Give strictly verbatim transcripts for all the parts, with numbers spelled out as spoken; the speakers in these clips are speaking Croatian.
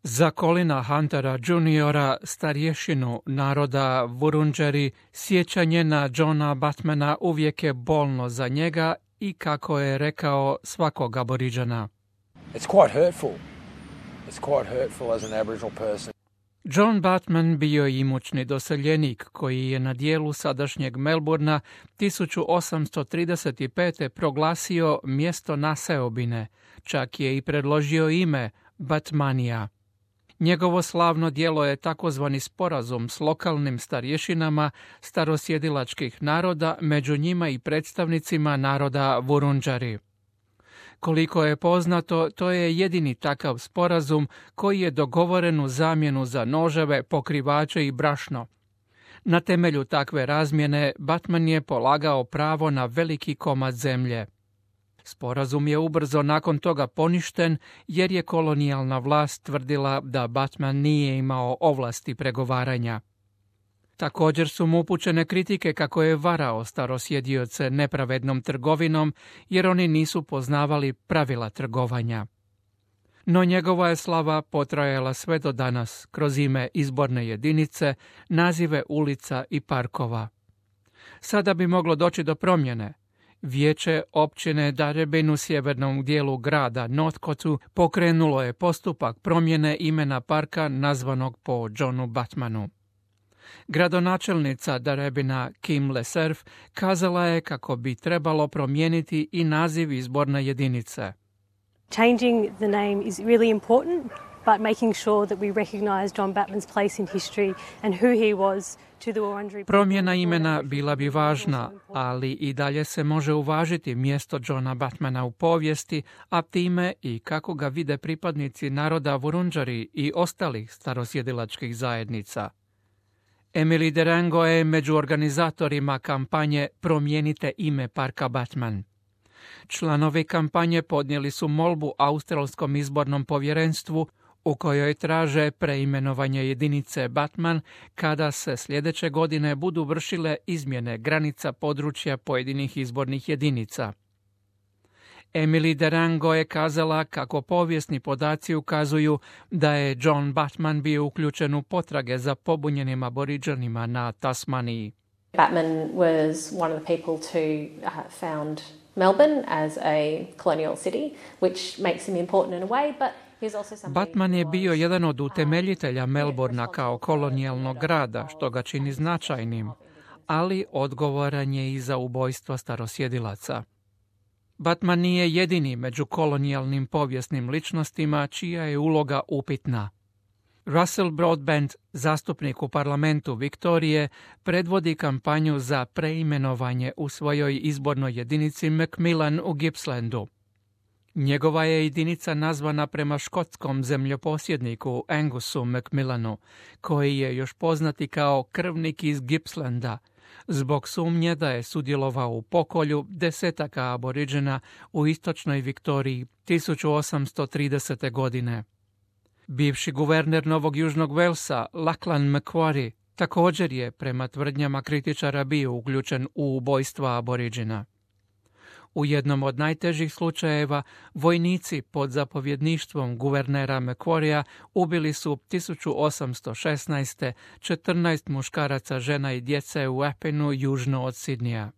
Za Colina Huntera juniora, starješinu naroda Wurundjeri, sjećanje na Johna Batmana uvijek je bolno za njega i, kako je rekao, svakog Aboriđana. It's quite hurtful. It's quite hurtful as an Aboriginal person. John Batman bio je imućni doseljenik koji je na dijelu sadašnjeg Melbourna tisuću osamsto trideset pete proglasio mjesto naseobine, čak je i predložio ime Batmania. Njegovo slavno djelo je takozvani sporazum s lokalnim starješinama starosjedilačkih naroda, među njima i predstavnicima naroda Wurundjeri. Koliko je poznato, to je jedini takav sporazum koji je dogovoren u zamjenu za noževe, pokrivače i brašno. Na temelju takve razmjene Batman je polagao pravo na veliki komad zemlje. Sporazum je ubrzo nakon toga poništen jer je kolonijalna vlast tvrdila da Batman nije imao ovlasti pregovaranja. Također su mu upućene kritike kako je varao starosjedioce nepravednom trgovinom jer oni nisu poznavali pravila trgovanja. No njegova je slava potrajala sve do danas kroz ime izborne jedinice, nazive ulica i parkova. Sada bi moglo doći do promjene. Vijeće općine Darebin u sjevernom dijelu grada Northcotu pokrenulo je postupak promjene imena parka nazvanog po Johnu Batmanu. Gradonačelnica Darebina Kim LeSerf kazala je kako bi trebalo promijeniti i naziv izborne jedinice. Changing the name is really important, but making sure that we recognize John Batman's place in history and who he was to the Wurundjeri. Promjena imena bila bi važna, ali i dalje se može uvažiti mjesto Johna Batmana u povijesti, a time i kako ga vide pripadnici naroda Wurundjeri i ostalih starosjedilačkih zajednica. Emily Derango je među organizatorima kampanje Promijenite ime parka Batman. Članovi kampanje podnijeli su molbu Australskom izbornom povjerenstvu u kojoj traže preimenovanje jedinice Batman kada se sljedeće godine budu vršile izmjene granica područja pojedinih izbornih jedinica. Emily Derango je kazala kako povijesni podaci ukazuju da je John Batman bio uključen u potrage za pobunjenim aboriđanima na Tasmaniji. Batman was one of the people to uh, found Melbourne as a colonial city, which makes him important in a way, but he's also somebody. Batman je bio jedan od utemeljitelja Melbourna kao kolonijalnog grada, što ga čini značajnim, ali odgovoran je i za ubojstva starosjedilaca. Batman nije jedini među kolonijalnim povijesnim ličnostima čija je uloga upitna. Russell Broadbent, zastupnik u parlamentu Viktorije, predvodi kampanju za preimenovanje u svojoj izbornoj jedinici Macmillan u Gippslandu. Njegova je jedinica nazvana prema škotskom zemljoposjedniku Angusu Macmillanu, koji je još poznati kao krvnik iz Gippslanda, zbog sumnje da je sudjelovao u pokolju desetaka aboriđena u istočnoj Viktoriji tisuću osamsto tridesete. godine. Bivši guverner Novog Južnog Velsa, Lachlan Macquarie, također je, prema tvrdnjama kritičara, bio uključen u ubojstva aboriđena. U jednom od najtežih slučajeva vojnici pod zapovjedništvom guvernera Macquaria ubili su tisuću osamsto šesnaeste. četrnaest muškaraca, žena i djece u Appinu južno od Sidneya.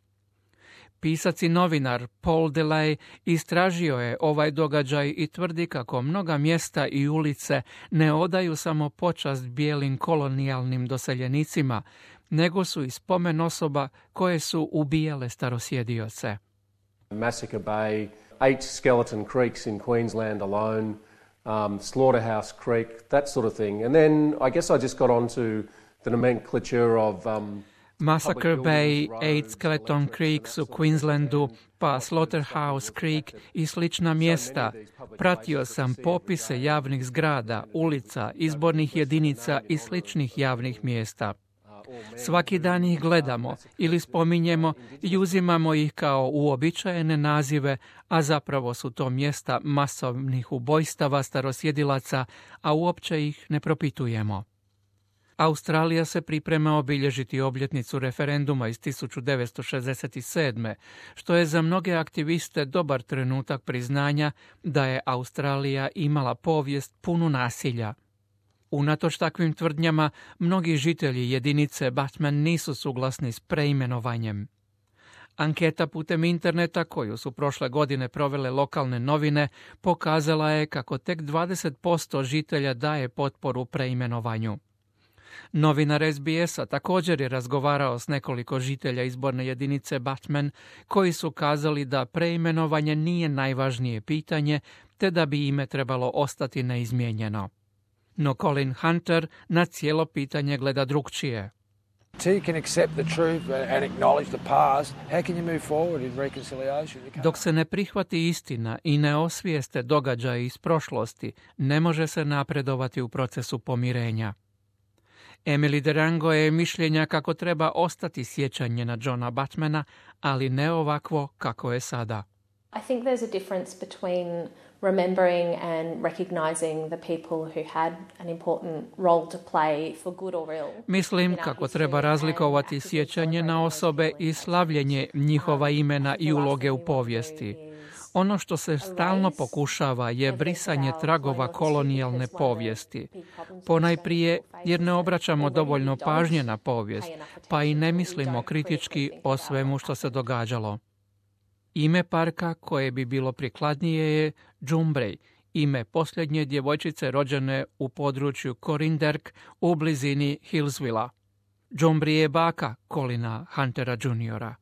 Pisac i novinar Paul Delay istražio je ovaj događaj i tvrdi kako mnoga mjesta i ulice ne odaju samo počast bijelim kolonijalnim doseljenicima, nego su i spomen osoba koje su ubijale starosjedioce. Massacre Bay, eight skeleton creeks in Queensland alone, um, Slaughterhouse Creek, that sort of thing. And then I guess I just got onto the nomenclature of... Um, Massacre Bay, Eight Skeleton Creeks u Queenslandu, pa Slaughterhouse Creek i slična mjesta. Pratio sam popise javnih zgrada, ulica, izbornih jedinica i sličnih javnih mjesta. Svaki dan ih gledamo ili spominjemo i uzimamo ih kao uobičajene nazive, a zapravo su to mjesta masovnih ubojstava starosjedilaca, a uopće ih ne propitujemo. Australija se priprema obilježiti obljetnicu referenduma iz tisuću devetsto šezdeset sedme. što je za mnoge aktiviste dobar trenutak priznanja da je Australija imala povijest punu nasilja. Unatoč takvim tvrdnjama, mnogi žitelji jedinice Batman nisu suglasni s preimenovanjem. Anketa putem interneta koju su prošle godine provele lokalne novine pokazala je kako tek dvadeset posto žitelja daje potporu preimenovanju. Novinar S B S-a također je razgovarao s nekoliko žitelja izborne jedinice Batman koji su kazali da preimenovanje nije najvažnije pitanje te da bi ime trebalo ostati neizmijenjeno. No Colin Hunter na cijelo pitanje gleda drukčije. Until you can accept the truth and acknowledge the past, how can you move forward in reconciliation? Dok se ne prihvati istina i ne osvijeste događaje iz prošlosti, ne može se napredovati u procesu pomirenja. Emily Derango je mišljenja kako treba ostati sjećanje na Johna Batmana, ali ne ovakvo kako je sada. I think there's a difference between remembering and recognizing the people who had an important role to play for good or ill. Mislim kako treba razlikovati sjećanje na osobe i slavljenje njihova imena i uloge u povijesti. Ono što se stalno pokušava je brisanje tragova kolonijalne povijesti. Ponajprije jer ne obraćamo dovoljno pažnje na povijest, pa i ne mislimo kritički o svemu što se događalo. Ime parka koje bi bilo prikladnije je Džumbrej, ime posljednje djevojčice rođene u području Corinderk u blizini Hillsvilla. Džumbri je baka Colina Huntera juniora